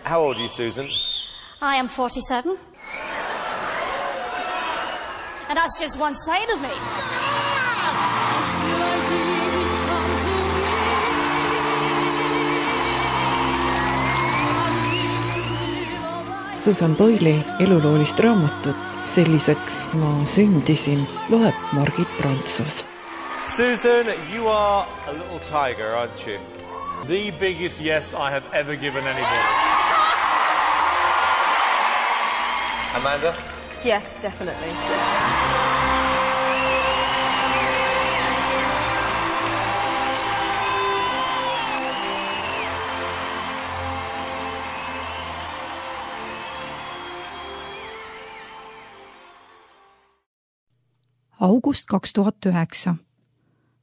How old are you, Susan? I am 47. And that's just one side of me. Susan Boyle'i eluloolist raamatut Selliseks ma sündisin loeb Margit Prantsus. Susan, you are a little tiger, aren't you? The biggest yes I have ever given anybody. Amanda? Yes, definitely. August 2009.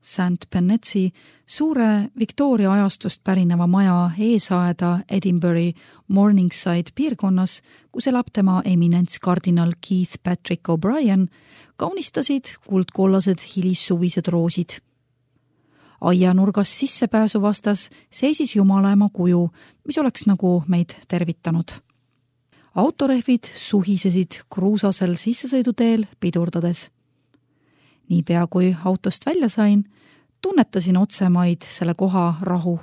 St. Bennetsi suure Victoria ajastust pärineva maja eesaeda Edinburghi Morningside piirkonnas, kus elab tema eminents kardinal Keith Patrick O'Brien, kaunistasid kuldkollased hilissuvised roosid. Aianurgas sissepääsu vastas seisis Jumalaema kuju, mis oleks nagu meid tervitanud. Autorehvid suhisesid kruusasel sissesõiduteel pidurdades. Niipea kui autost välja sain, tunnetasin otsemaid selle koha rahu.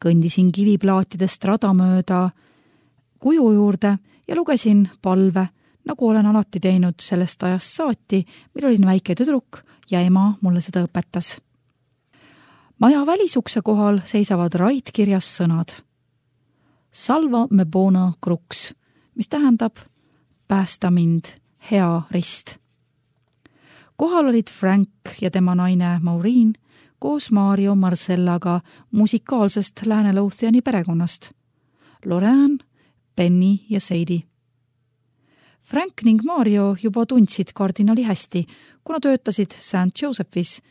Kõndisin kiviplaatidest rada mööda kuju juurde ja lugesin palve, nagu olen alati teinud sellest ajast saati, mil olin väike tüdruk ja ema mulle seda õpetas. Maja välisukse kohal seisavad raidkirjas sõnad. Salva me bona crux, mis tähendab päästa mind, hea rist. Kohal olid Frank ja tema naine Maureen koos Mario Marcellaga musikaalsest Lääne-Lothiani perekonnast. Lorraine, Benny ja Sadie. Frank ning Mario juba tundsid kardinali hästi, kuna töötasid St. Josephis,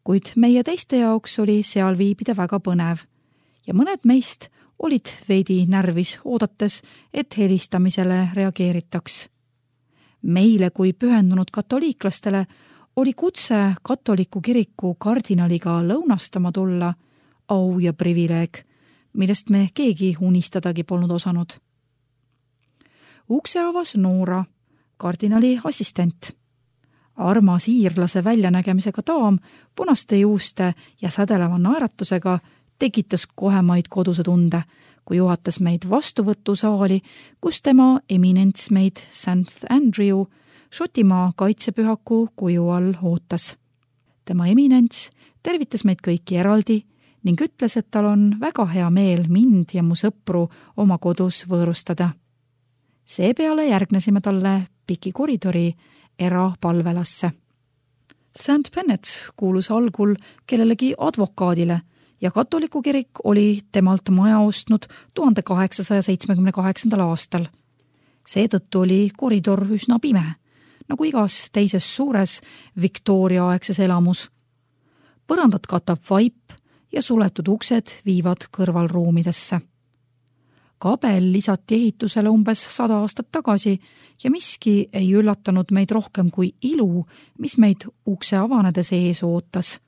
kuid meie teiste jaoks oli seal viibida väga põnev ja mõned meist olid veidi närvis oodates, et helistamisele reageeritaks. Meile kui pühendunud katoliiklastele oli kutse katoliku kiriku kardinaliga lõunastama tulla au ja privileeg, millest me keegi unistadagi polnud osanud. Ukse avas Noora, kardinali assistent. Armas iirlase väljanägemisega daam, punaste juuste ja sädeleva naeratusega tekitas kohemaid koduse tunde, kui juhatas meid vastuvõtusaali, kus tema eminents meid St. Andrew Šotimaa kaitsepühaku kuju all ootas. Tema eminents tervitas meid kõiki eraldi ning ütles, et tal on väga hea meel mind ja mu sõpru oma kodus võõrustada. Seepeale järgnesime talle piki koridori erapalvelasse. St. Bennet kuulus algul kellelegi advokaadile ja katoliku kirik oli temalt maja ostnud 1878. aastal. Seetõttu oli koridor üsna pime, nagu igas teises suures Victoria-aegses elamus. Põrandat katab vaip ja suletud uksed viivad kõrvalruumidesse. Kabel lisati ehitusele umbes 100 aastat tagasi ja miski ei üllatanud meid rohkem kui ilu, mis meid ukse avanedes ees ootas.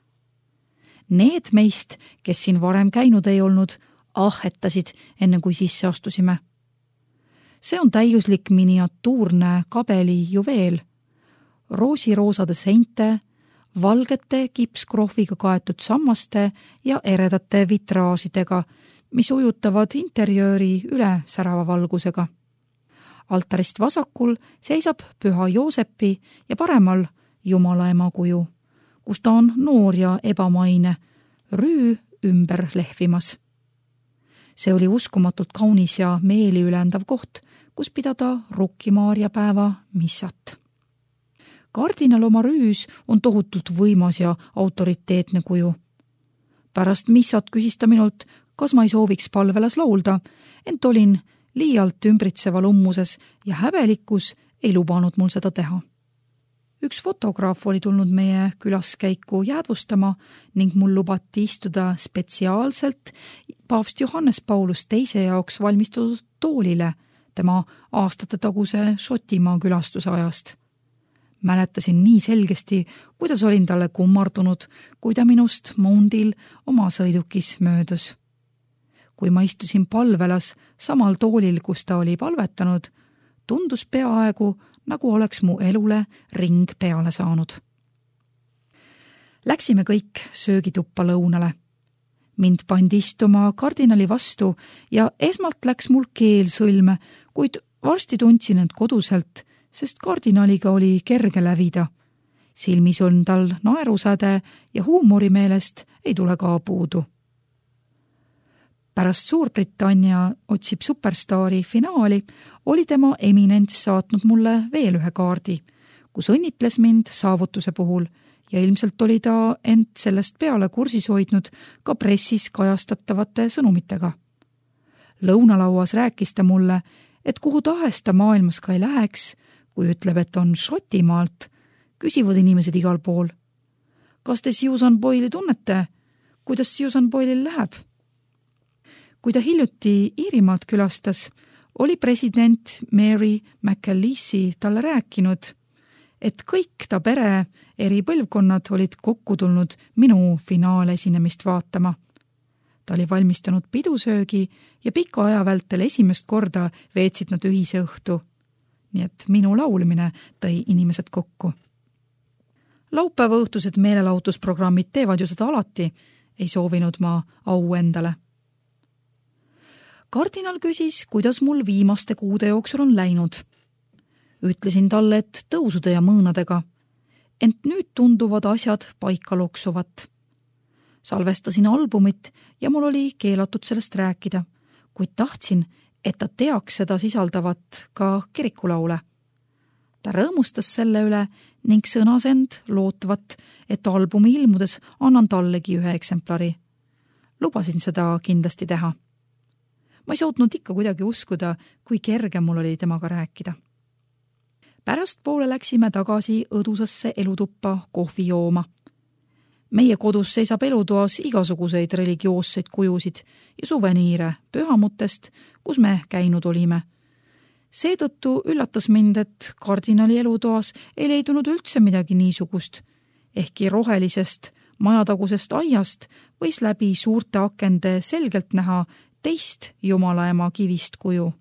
Need meist, kes siin varem käinud ei olnud, ahetasid enne kui sisse astusime. See on täiuslik miniatuurne kabeli juveel, roosiroosade seinte, valgete kipskrohviga kaetud sammaste ja eredate vitraažidega, mis ujutavad interjööri üle särava valgusega. Altarist vasakul seisab Püha Joosepi ja paremal Jumalaema kuju, kus ta on noor ja ebamaine, rüü ümber lehvimas. See oli uskumatult kaunis ja meeli ülendav koht, kus pidada Rukki-Maaria päeva missat. Kardinal oma rüüs on tohutult võimas ja autoriteetne kuju. Pärast missat küsis ta minult, kas ma ei sooviks palvelas laulda, ent olin liialt ümbritseval ummuses ja häbelikkus ei lubanud mul seda teha. Üks fotograaf oli tulnud meie külaskäiku jäädvustama ning mul lubati istuda spetsiaalselt paavst Johannes Paulus II jaoks valmistatud toolile tema aastatetaguse Šotimaa külastuse ajast. Mäletasin nii selgesti, kuidas olin talle kummardunud, kui ta minust moundil oma sõidukis möödus. kui ma istusin palvelas samal toolil, kus ta oli palvetanud, tundus peaaegu, nagu oleks mu elule ring peale saanud. Läksime kõik söögituppa lõunale. Mind pandi istuma kardinali vastu ja esmalt läks mul keel sõlme, kuid varsti tundsin end koduselt, sest kardinaliga oli kerge lävida. Silmis on tal naerusäde ja huumorimeelest ei tule ka puudu. Pärast Suurbritannia otsib superstaari finaali oli tema eminents saatnud mulle veel ühe kaardi, kus õnnitles mind saavutuse puhul ja ilmselt oli ta end sellest peale kursis hoidnud ka pressis kajastatavate sõnumitega. Lõunalauas rääkis ta mulle, et kuhu tahes ta maailmas ka ei läheks, kui ütleb, et on Šotimaalt, küsivad inimesed igal pool. Kas te Susan Boyle'i tunnete? Kuidas Susan Boyle'il läheb? Kui ta hiljuti Iirimaalt külastas, oli president Mary McAleese talle rääkinud, et kõik ta pere eri põlvkonnad olid kokku tulnud minu finaalesinemist vaatama. Ta oli valmistanud pidusöögi ja pika aja vältel esimest korda veetsid nad ühise õhtu. Nii et minu laulmine tõi inimesed kokku. Laupäeva õhtused meelelahutusprogrammid teevad ju seda alati, ei soovinud ma au endale. Kardinal küsis, kuidas mul viimaste kuude jooksul on läinud. Ütlesin talle, et tõusude ja mõõnadega, ent nüüd tunduvad asjad paika loksuvat. Salvestasin albumit ja mul oli keelatud sellest rääkida, kuid tahtsin, et ta teaks seda sisaldavat ka kirikulaule. Ta rõõmustas selle üle ning sõnas end lootvat, et albumi ilmudes annan tallegi ühe eksemplari. Lubasin seda kindlasti teha. Ma ei suutnud ikka kuidagi uskuda, kui kerge mul oli temaga rääkida. Pärast poole läksime tagasi õdusasse elutuppa kohvi jooma. Meie kodus seisab elutoas igasuguseid religioosseid kujusid ja suveniire pühamutest, kus me käinud olime. Seetõttu üllatas mind, et kardinali elutoas ei leidunud üldse midagi niisugust, ehkki rohelisest majatagusest aiast võis läbi suurte akende selgelt näha teist jumalaema kivist kuju.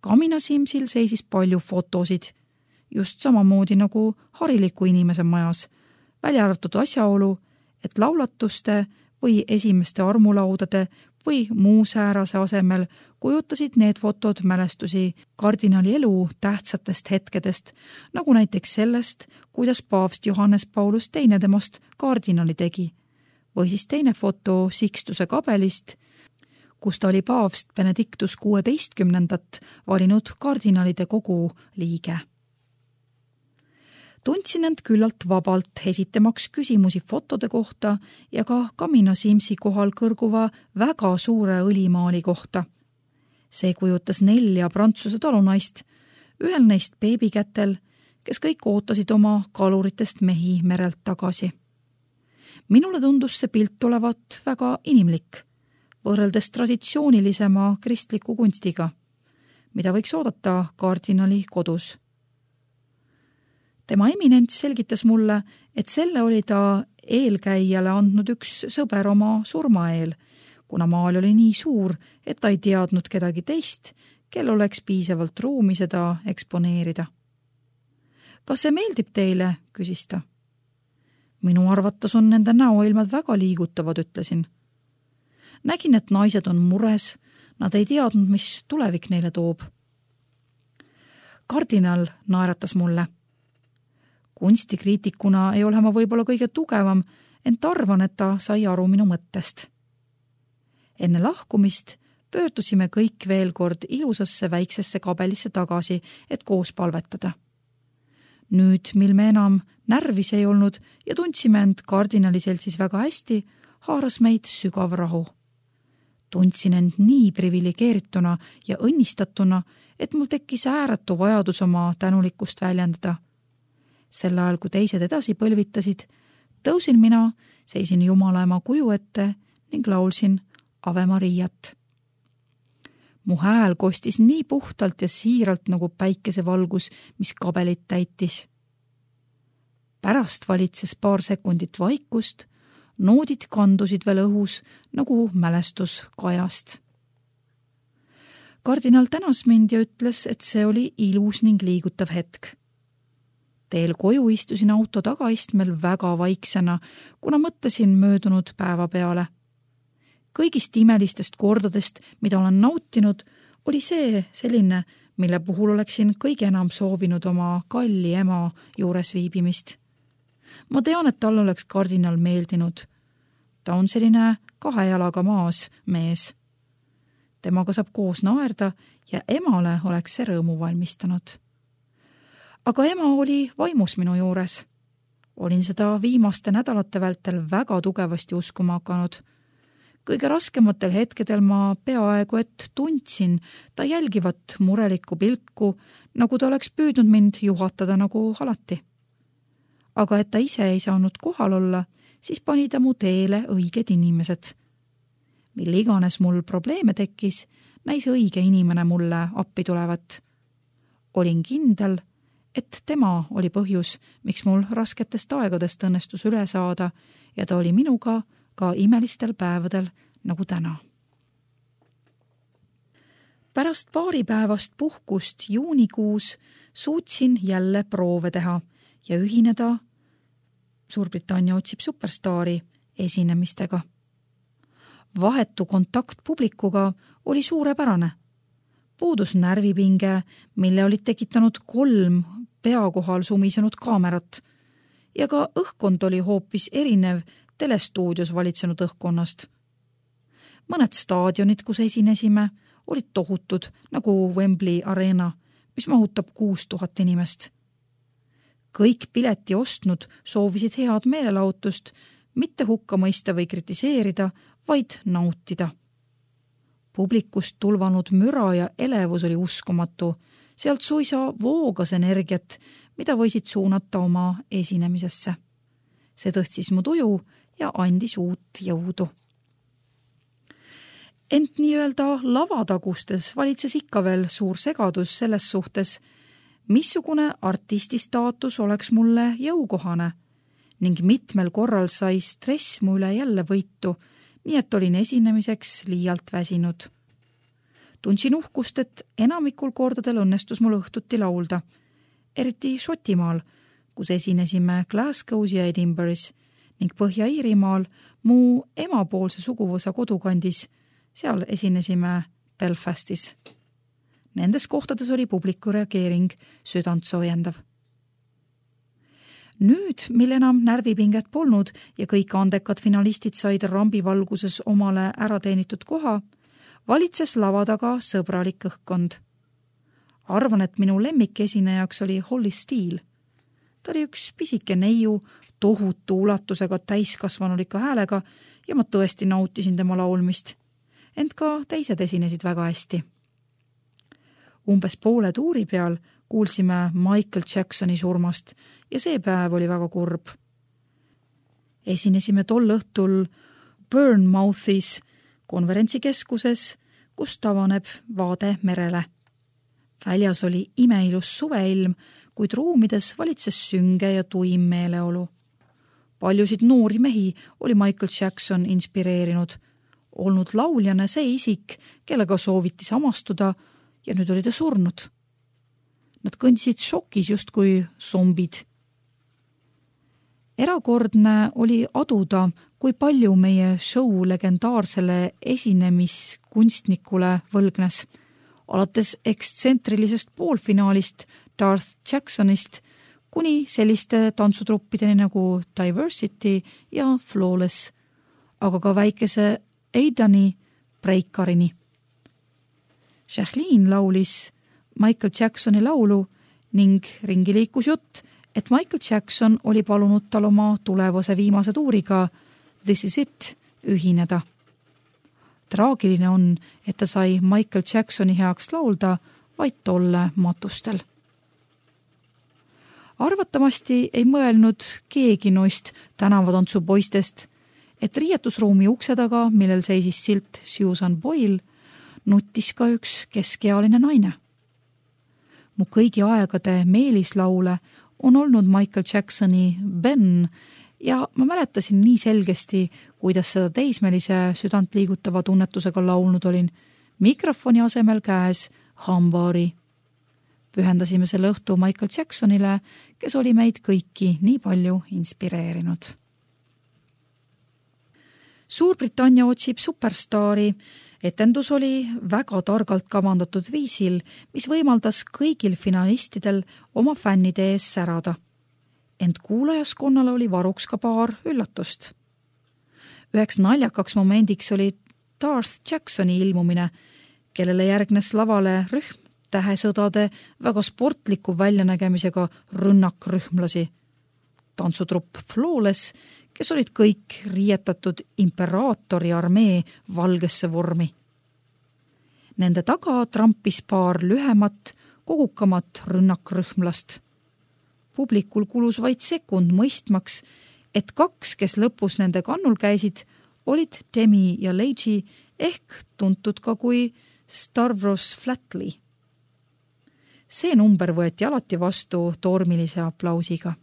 Kamina Simsil seisis palju fotosid, just samamoodi nagu hariliku inimese majas, välja arvatud asjaolu, et laulatuste või esimeste armulaudade või muu säärase asemel kujutasid need fotod mälestusi kardinali elu tähtsatest hetkedest, nagu näiteks sellest, kuidas paavst Johannes Paulus II temast kardinali tegi, või siis teine foto Sixtuse kabelist, kus ta oli paavst Benedictus 16. valinud kardinalide kogu liige. Tundsin end küllalt vabalt esitamaks küsimusi fotode kohta ja ka Kamina Simsi kohal kõrguva väga suure õlimaali kohta. See kujutas 4 Prantsuse talunaist, ühel neist beebikätel, kes kõik ootasid oma kaluritest mehi merelt tagasi. Minule tundus see pilt olevat väga inimlik, võrreldes traditsioonilisema kristliku kunstiga, mida võiks oodata kardinali kodus. Tema eminents selgitas mulle, et selle oli ta eelkäijale andnud üks sõber oma surma eel, kuna maal oli nii suur, et ta ei teadnud kedagi teist, kel oleks piisavalt ruumi seda eksponeerida. Kas see meeldib teile, küsis ta. Minu arvates on nende näoilmad väga liigutavad, ütlesin. Nägin, et naised on mures, nad ei teadnud, mis tulevik neile toob. Kardinal naeratas mulle. Kunstikriitikuna ei ole ma võib-olla kõige tugevam, ent arvan, et ta sai aru minu mõttest. Enne lahkumist pöördusime kõik veel kord ilusasse väiksesse kabelisse tagasi, et koos palvetada. Nüüd, mil me enam närvis ei olnud ja tundsime end kardinali seltsis väga hästi, haaras meid sügav rahu. Tundsin end nii privilegeerituna ja õnnistatuna, et mul tekkis ääretu vajadus oma tänulikkust väljendada. Sel ajal, kui teised edasi põlvitasid, tõusin mina, seisin Jumalaema kuju ette ning laulsin Ave Mariat. Mu hääl kostis nii puhtalt ja siiralt nagu päikesevalgus, mis kabelit täitis. Pärast valitses paar sekundit vaikust, Noodid kandusid veel õhus nagu mälestus kajast. Kardinal tänas mind ja ütles, et see oli ilus ning liigutav hetk. Teel koju istusin auto tagaistmel väga vaiksena, kuna mõtlesin möödunud päeva peale. Kõigist imelistest kordadest, mida olen nautinud, oli see selline, mille puhul oleksin kõige enam soovinud oma kalli ema juures viibimist. Ma tean, et tal oleks kardinal meeldinud. Ta on selline 2 jalaga maas mees. Temaga saab koos naerda ja emale oleks see rõõmu valmistanud. Aga ema oli vaimus minu juures. Olin seda viimaste nädalate vältel väga tugevasti uskuma hakanud. Kõige raskematel hetkedel ma peaaegu et tundsin ta jälgivat murelikku pilku, nagu ta oleks püüdnud mind juhatada nagu alati. Aga et ta ise ei saanud kohal olla, siis pani ta mu teele õiged inimesed. Mille iganes mul probleeme tekkis, näis õige inimene mulle appi tulevat. Olin kindel, et tema oli põhjus, miks mul rasketest aegadest õnnestus üle saada ja ta oli minuga ka imelistel päevadel nagu täna. Pärast paaripäevast puhkust juunikuus suutsin jälle proove teha ja ühineda Suurbritannia otsib superstaari esinemistega. Vahetu kontakt publikuga oli suurepärane. Puudus närvipinge, mille olid tekitanud 3 pea kohal sumisenud kaamerat ja ka õhkkond oli hoopis erinev telestuudios valitsenud õhkkonnast. Mõned staadionid, kus esinesime, olid tohutud nagu Wembley Arena, mis mahutab 6000 inimest. Kõik pileti ostnud soovisid head meelelahutust, mitte hukka mõista või kritiseerida, vaid nautida. Publikust tulvanud müra ja elevus oli uskumatu, sealt suisa voogas energiat, mida võisid suunata oma esinemisesse. See tõstis mu tuju ja andis uut jõudu. Ent nii-öelda lavatagustes valitses ikka veel suur segadus selles suhtes, missugune artisti staatus oleks mulle jõukohane ning mitmel korral sai stress mu üle jälle võitu, nii et olin esinemiseks liialt väsinud. Tundsin uhkust, et enamikul kordadel õnnestus mul õhtuti laulda, eriti Šotimaal, kus esinesime Glasgow's ja Edinburgh'is ning Põhja-Iirimaal mu emapoolse suguvõsa kodukandis, seal esinesime Belfastis. Nendes kohtades oli publiku reageering südant soojendav. Nüüd, mil enam närvipinget polnud ja kõik andekad finalistid said rambivalguses omale ära teenitud koha, valitses lava taga sõbralik õhkkond. Arvan, et minu lemmikesinejaks oli Holly Steele. Ta oli üks pisike neiu, tohutu ulatusega täiskasvanulika häälega ja ma tõesti nautisin tema laulmist. Ent ka teised esinesid väga hästi. Umbes poole tuuri peal kuulsime Michael Jacksoni surmast ja see päev oli väga kurb. Esinesime tol õhtul Bournemouthis konverentsikeskuses, kus tavaneb vaade merele. Väljas oli imeilus suveilm, kuid ruumides valitses sünge ja tuim meeleolu. Paljusid noori mehi oli Michael Jackson inspireerinud, olnud lauljana see isik, kellega sooviti samastuda ja nüüd oli ta surnud. Nad kõndisid šokis justkui zombid. Erakordne oli aduda, kui palju meie show legendaarsele esinemiskunstnikule võlgnes, alates ekstsentrilisest poolfinaalist Darth Jacksonist kuni selliste tantsutruppideni nagu Diversity ja Flawless, aga ka väikese Aidani Breikarini. Jacqueline laulis Michael Jacksoni laulu ning ringi liikus jutt, et Michael Jackson oli palunud tal oma tulevase viimase tuuriga This Is It ühineda. Traagiline on, et ta sai Michael Jacksoni heaks laulda vaid tolle matustel. Arvatamasti ei mõelnud keegi noist tänavatantsupoistest, et riietusruumi ukse taga, millel seisis silt Susan Boyle, nuttis ka üks keskealine naine. Mu kõigi aegade meelislaule on olnud Michael Jacksoni Ben ja ma mäletasin nii selgesti, kuidas seda teismelise südant liigutava tunnetusega laulnud olin, mikrofoni asemel käes hambaari. Pühendasime selle õhtu Michael Jacksonile, kes oli meid kõiki nii palju inspireerinud. Suurbritannia otsib superstaari. Etendus oli väga targalt kavandatud viisil, mis võimaldas kõigil finalistidel oma fännide ees särada. Ent kuulajaskonnal oli varuks ka paar üllatust. Üheks naljakaks momendiks oli Darth Jacksoni ilmumine, kellele järgnes lavale rühm tähesõdade väga sportliku väljanägemisega rünnakrühmlasi. Tantsutrupp Flawless, kes olid kõik riietatud imperaatori armee valgesse vormi. Nende taga trampis paar lühemat, kogukamat rünnakrühmlast. Publikul kulus vaid sekund mõistmaks, et kaks, kes lõpus nende kannul käisid, olid Demi ja Leiji ehk tuntud ka kui Stavros Flatley. See number võeti alati vastu tormilise aplausiga.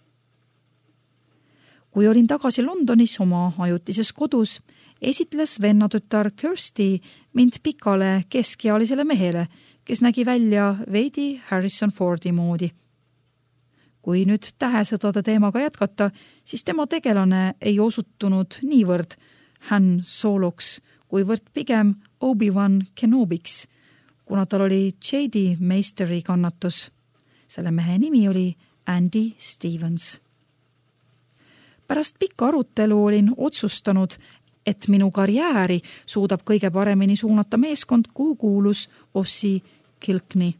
Kui olin tagasi Londonis oma ajutises kodus, esitles vennatütar Kirsty mind pikale keskealisele mehele, kes nägi välja veidi Harrison Fordi moodi. Kui nüüd tähesõdade teemaga jätkata, siis tema tegelane ei osutunud niivõrd Han Soloks, kuivõrd pigem Obi-Wan Kenobiks, kuna tal oli J.D. Meisteri kannatus. Selle mehe nimi oli Andy Stevens. Pärast pikka arutelu olin otsustanud, et minu karjääri suudab kõige paremini suunata meeskond, kuhu kuulus Ossie Kilkney.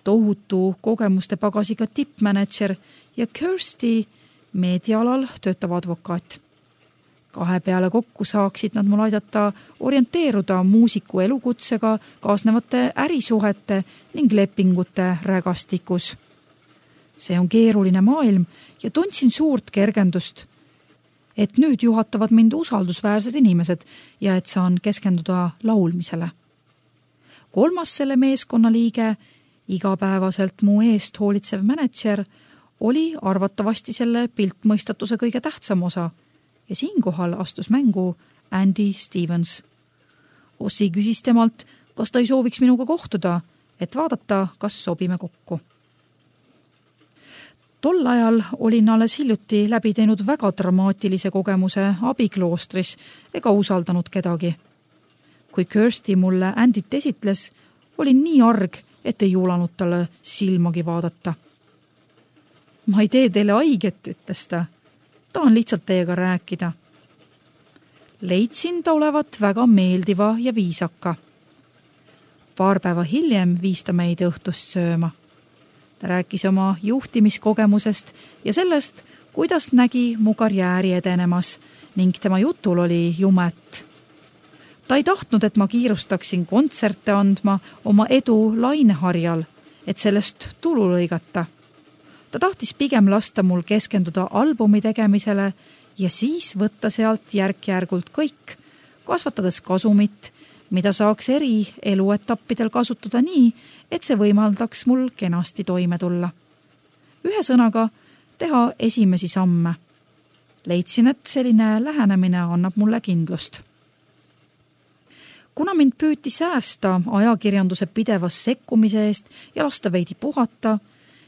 Tohutu kogemuste pagasiga tippmanager ja Kirsty meediaalal töötav advokaat. Kahe peale kokku saaksid nad mul aidata orienteeruda muusiku elukutsega kaasnevate ärisuhete ning lepingute rägastikus. See on keeruline maailm ja tundsin suurt kergendust, et nüüd juhatavad mind usaldusväärsed inimesed ja et saan keskenduda laulmisele. Kolmas selle meeskonna liige, igapäevaselt mu eest hoolitsev manager, oli arvatavasti selle piltmõistatuse kõige tähtsam osa ja siinkohal astus mängu Andy Stevens. Ossie küsis temalt, kas ta ei sooviks minuga kohtuda, et vaadata, kas sobime kokku. Tol ajal olin alles hiljuti läbi teinud väga dramaatilise kogemuse abikloostris ega usaldanud kedagi. Kui Kirsty mulle Andyt esitles, olin nii arg, et ei juulanud talle silmagi vaadata. Ma ei tee teile haiget, ütles ta. Tahan lihtsalt teiega rääkida. Leidsin ta olevat väga meeldiva ja viisaka. Paar päeva hiljem viis ta meid õhtust sööma. Ta rääkis oma juhtimiskogemusest ja sellest, kuidas nägi mu karjääri edenemas ning tema jutul oli jumet. Ta ei tahtnud, et ma kiirustaksin kontserte andma oma edu laineharjal, et sellest tulu lõigata. Ta tahtis pigem lasta mul keskenduda albumi tegemisele ja siis võtta sealt järk-järgult kõik, kasvatades kasumit, mida saaks eri eluetappidel kasutada nii, et see võimaldaks mul kenasti toime tulla. Ühesõnaga, teha esimesi samme. Leidsin, et selline lähenemine annab mulle kindlust. Kuna mind püüti säästa ajakirjanduse pidevas sekkumise eest ja lasta veidi puhata,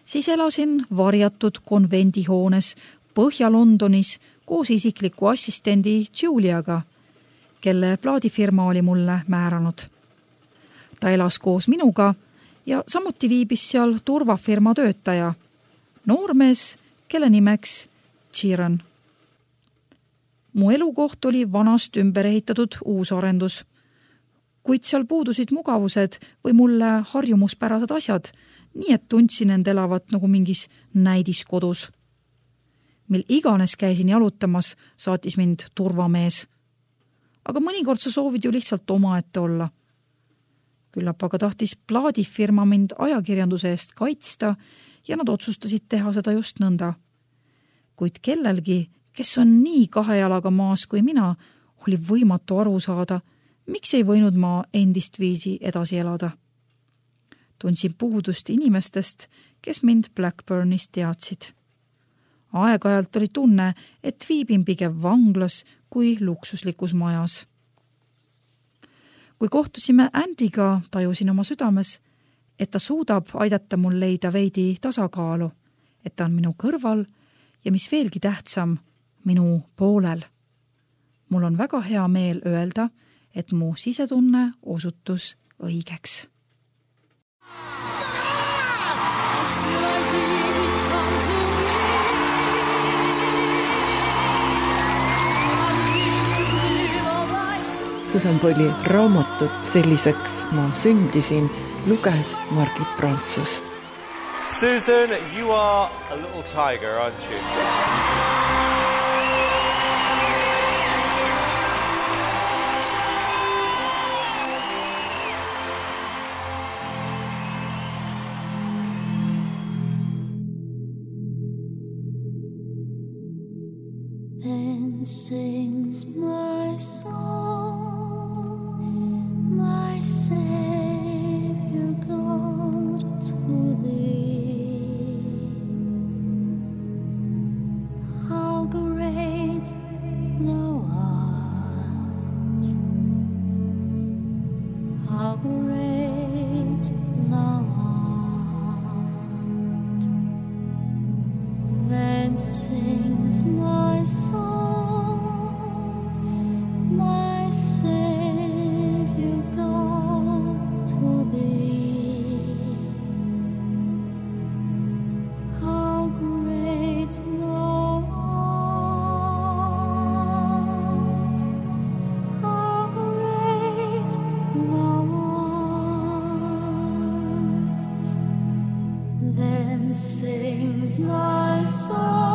siis elasin varjatud konvendihoones Põhja-Londonis koos isikliku assistendi Juliaga, kelle plaadifirma oli mulle määranud. Ta elas koos minuga ja samuti viibis seal turvafirma töötaja, noormees, kelle nimeks Chiron. Mu elukoht oli vanast ümber ehitatud uusarendus, kuid seal puudusid mugavused või mulle harjumuspärased asjad, nii et tundsin end elavat nagu mingis näidiskodus. Mil iganes käisin jalutamas, saatis mind turvamees. Aga mõnikord sa soovid ju lihtsalt omaette olla. Küllap aga tahtis plaadifirma mind ajakirjanduse eest kaitsta ja nad otsustasid teha seda just nõnda. Kuid kellelgi, kes on nii kahe jalaga maas kui mina, oli võimatu aru saada, miks ei võinud ma endist viisi edasi elada. Tundsin puudust inimestest, kes mind Blackburnis teadsid. Aeg-ajalt oli tunne, et viibin pigem vanglas kui luksuslikus majas. Kui kohtusime Andyga, tajusin oma südames, et ta suudab aidata mul leida veidi tasakaalu, et ta on minu kõrval ja mis veelgi tähtsam, minu poolel. Mul on väga hea meel öelda, et mu sisetunne osutus õigeks. Susan Boyle'i raamatut Selliseks ma sündisin luges Margit Prantsus. Susan, you are a little tiger, aren't you? Then sings my song, my Savior God, to thee. How great thou art, how great thou art. Then sings my song, my Savior God, to thee. How great thou art, how great thou art. Then sings my song.